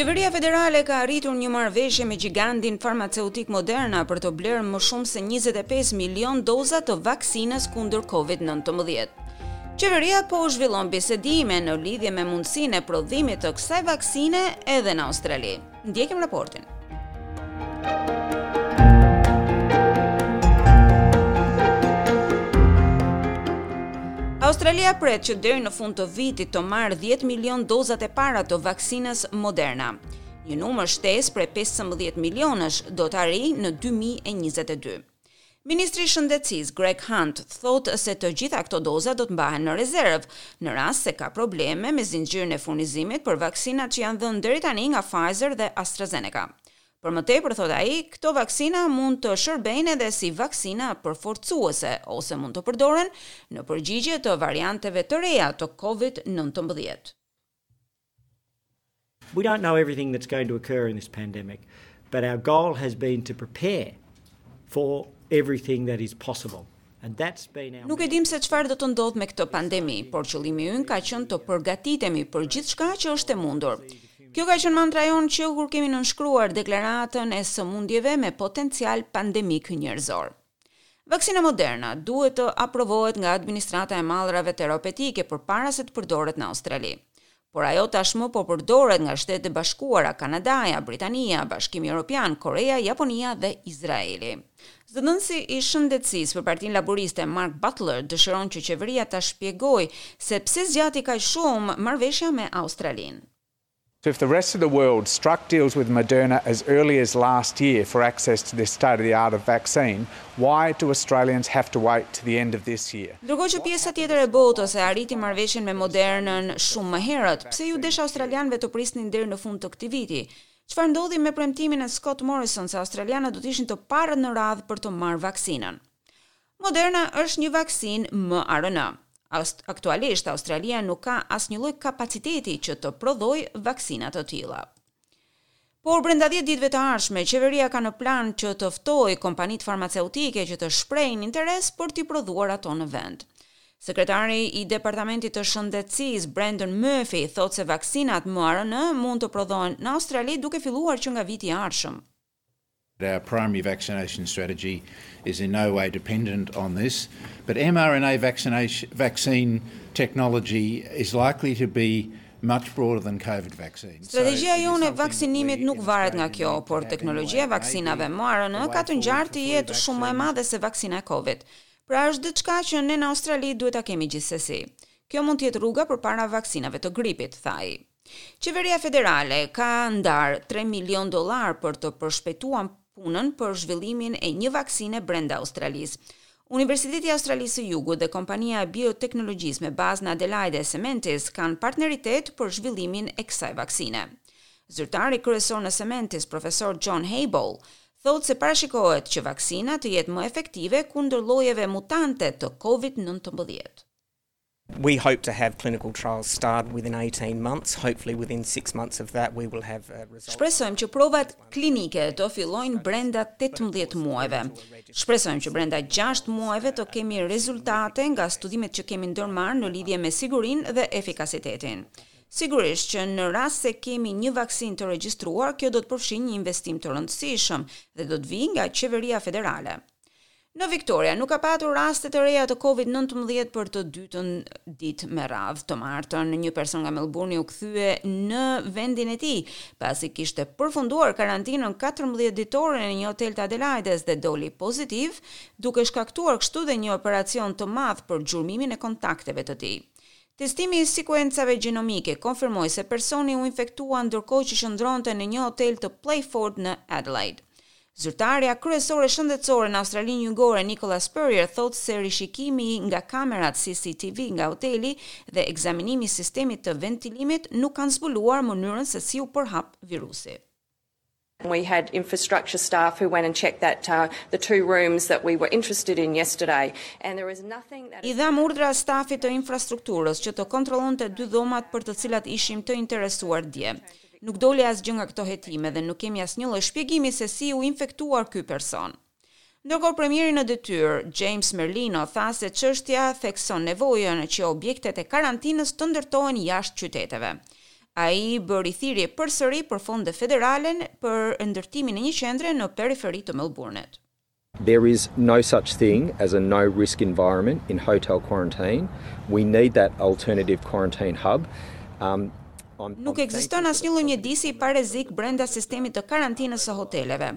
Qeveria federale ka arritur një marrëveshje me gjigantin farmaceutik Moderna për të blerë më shumë se 25 milion doza të vaksinës kundër COVID-19. Qeveria po zhvillon bisedime në lidhje me mundësinë e prodhimit të kësaj vaksine edhe në Australi. Ndjekim raportin. Australia pret që deri në fund të vitit të marrë 10 milion dozat e para të vaksinës Moderna. Një numër shtesë prej 15 milionësh do të arrijë në 2022. Ministri i Shëndetësisë, Greg Hunt, thotë se të gjitha këto doza do të mbahen në rezervë, në rast se ka probleme me zinxhirin e furnizimit për vaksinat që janë dhënë deri tani nga Pfizer dhe AstraZeneca. Për më tepër, thotë ai, këto vaksina mund të shërbejnë edhe si vaksina përforcuese ose mund të përdoren në përgjigje të varianteve të reja të Covid-19. We don't know everything that's going to occur in this pandemic, but our goal has been to prepare for everything that is possible. And that's been our Nuk e dimë se çfarë do të ndodhë me këtë pandemi, por qëllimi ynë ka qenë të përgatitemi për gjithçka që është e mundur. Kjo ka qenë mantra jonë që kur kemi nënshkruar deklaratën e sëmundjeve me potencial pandemik njerëzor. Vaksina Moderna duhet të aprovohet nga Administrata e Mallrave Terapeutike përpara se të përdoret në Australi. Por ajo tashmë po përdoret nga Shtetet e Bashkuara, Kanadaja, Britania, Bashkimi Europian, Koreja, Japonia dhe Izraeli. Zëdhënësi i Shëndetësisë për Partinë Laburiste, Mark Butler, dëshiron që qeveria ta shpjegojë se pse zgjati kaq shumë marrëveshja me Australinë. So if the rest of the world struck deals with Moderna as early as last year for access to this state of the art of vaccine, why do Australians have to wait to the end of this year? Ndërkohë që pjesa tjetër e botës e arriti marrëveshjen me Modernën shumë më herët, pse iu desh australianëve të prisnin deri në fund të këtij viti? Çfarë ndodhi me premtimin e Scott Morrison se australianët do të ishin të parët në radhë për të marrë vaksinën? Moderna është një vaksinë mRNA. Aktualisht, Australia nuk ka asnjë lloj kapaciteti që të prodhojë vaksina të tilla. Por brenda 10 ditëve të ardhshme, qeveria ka në plan që të ftojë kompanitë farmaceutike që të shprehin interes për t'i prodhuar ato në vend. Sekretari i Departamentit të Shëndetësisë, Brendan Murphy, thotë se vaksinat mRNA mund të prodhohen në Australi duke filluar që nga viti i ardhshëm. Our primary vaccination strategy is in no way dependent on this, but mRNA vaccination, vaccine technology is likely to be much broader than COVID vaccines. Strategjia jonë e vaksinimit nuk varet nga kjo, por teknologjia e vaksinave mRNA ka të ngjarë të jetë shumë më e madhe se vaksina e Covid. Pra është diçka që ne në Australi duhet ta kemi gjithsesi. Kjo mund të jetë rruga përpara vaksinave të gripit, tha ai. Qeveria federale ka ndarë 3 milion dollar për të përshpejtuar punën për zhvillimin e një vaksine brenda Australisë. Universiteti i Australisë së Jugut dhe kompania e bioteknologjisë me bazë në Adelaide Sementis kanë partneritet për zhvillimin e kësaj vaksine. Zyrtari kryesor në Sementis, profesor John Hayball, thotë se parashikohet që vaksina të jetë më efektive kundër llojeve mutante të COVID-19. We hope to have clinical trials start within 18 months. Hopefully within 6 months of that we will have uh, results. Shpresojmë që provat klinike të fillojnë brenda 18 muajve. Shpresojmë që brenda 6 muajve të kemi rezultate nga studimet që kemi ndërmarrë në lidhje me sigurinë dhe efikasitetin. Sigurisht që në rast se kemi një vaksinë të regjistruar, kjo do të përfshijë një investim të rëndësishëm dhe do të vijë nga qeveria federale. Në Victoria nuk ka patur raste të reja të COVID-19 për të dytën ditë me radhë. Të martën, një person nga Melbourne u kthye në vendin e tij, pasi kishte përfunduar karantinën 14 ditore në një hotel të Adelaides dhe doli pozitiv, duke shkaktuar kështu dhe një operacion të madh për gjurmimin e kontakteve të tij. Testimi i sekuencave gjenomike konfirmoi se personi u infektua ndërkohë që qëndronte në një hotel të Playford në Adelaide. Zyrtarja kryesore shëndetësore në Australinë Jugore, Nicola Spurrier, thotë se rishikimi nga kamerat CCTV nga hoteli dhe ekzaminimi i sistemit të ventilimit nuk kanë zbuluar mënyrën se si u përhap virusi. We had infrastructure staff who went and checked that uh, the two rooms that we were interested in yesterday and there is nothing that I dhamë urdhra stafit të infrastrukturës që të kontrollonte dy dhomat për të cilat ishim të interesuar dje. Nuk doli asgjë nga këto hetime dhe nuk kemi asnjë lloj shpjegimi se si u infektuar ky person. Ndërkohë premieri në detyrë, James Merlino, tha se çështja thekson nevojën që objektet e karantinës të ndërtohen jashtë qyteteve. Ai bëri thirrje përsëri për fonde federale për ndërtimin e një qendre në periferi të Melbourne-it. There is no such thing as a no risk environment in hotel quarantine. We need that alternative quarantine hub. Um, Nuk ekziston asnjë lloj mjedisi pa rrezik brenda sistemit të karantinës së hoteleve.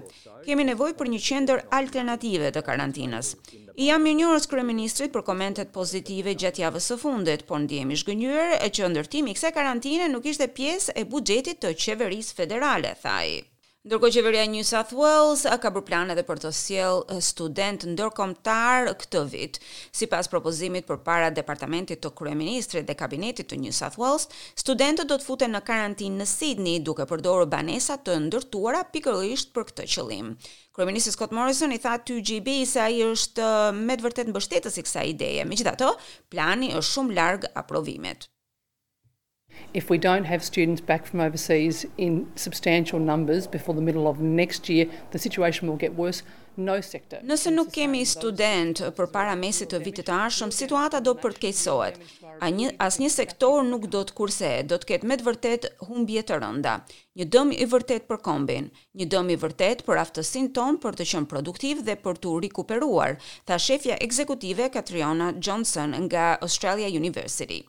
Kemi nevojë për një qendër alternative të karantinës. I jam mirënjohës kryeministrit për komentet pozitive gjatë javës së fundit, por ndihem i zhgënjyer që ndërtimi i kësaj karantine nuk ishte pjesë e buxhetit të qeverisë federale, tha ai. Ndërkohë qeveria e New South Wales ka bërë plan edhe për të sjellë student ndërkombëtar këtë vit. Sipas propozimit përpara departamentit të kryeministrit dhe kabinetit të New South Wales, studentët do të futen në karantinë në Sydney duke përdorur banesa të ndërtuara pikërisht për këtë qëllim. Kryeministri Scott Morrison i tha 2GB se ai është me të vërtetë mbështetës i kësaj ideje. Megjithatë, plani është shumë larg aprovimit. If we don't have students back from overseas in substantial numbers before the middle of next year, the situation will get worse. No sector. Nëse nuk kemi student përpara mesit të vitit të ardhshëm, situata do përkeqësohet. Një asnjë sektor nuk do të kursehet, do të ketë me të vërtet humbje të rënda. Një dëm i vërtet për kombin, një dëm i vërtet për aftësinë tonë për të qenë produktiv dhe për të rikuperuar, tha shefja ekzekutive Katriona Johnson nga Australia University.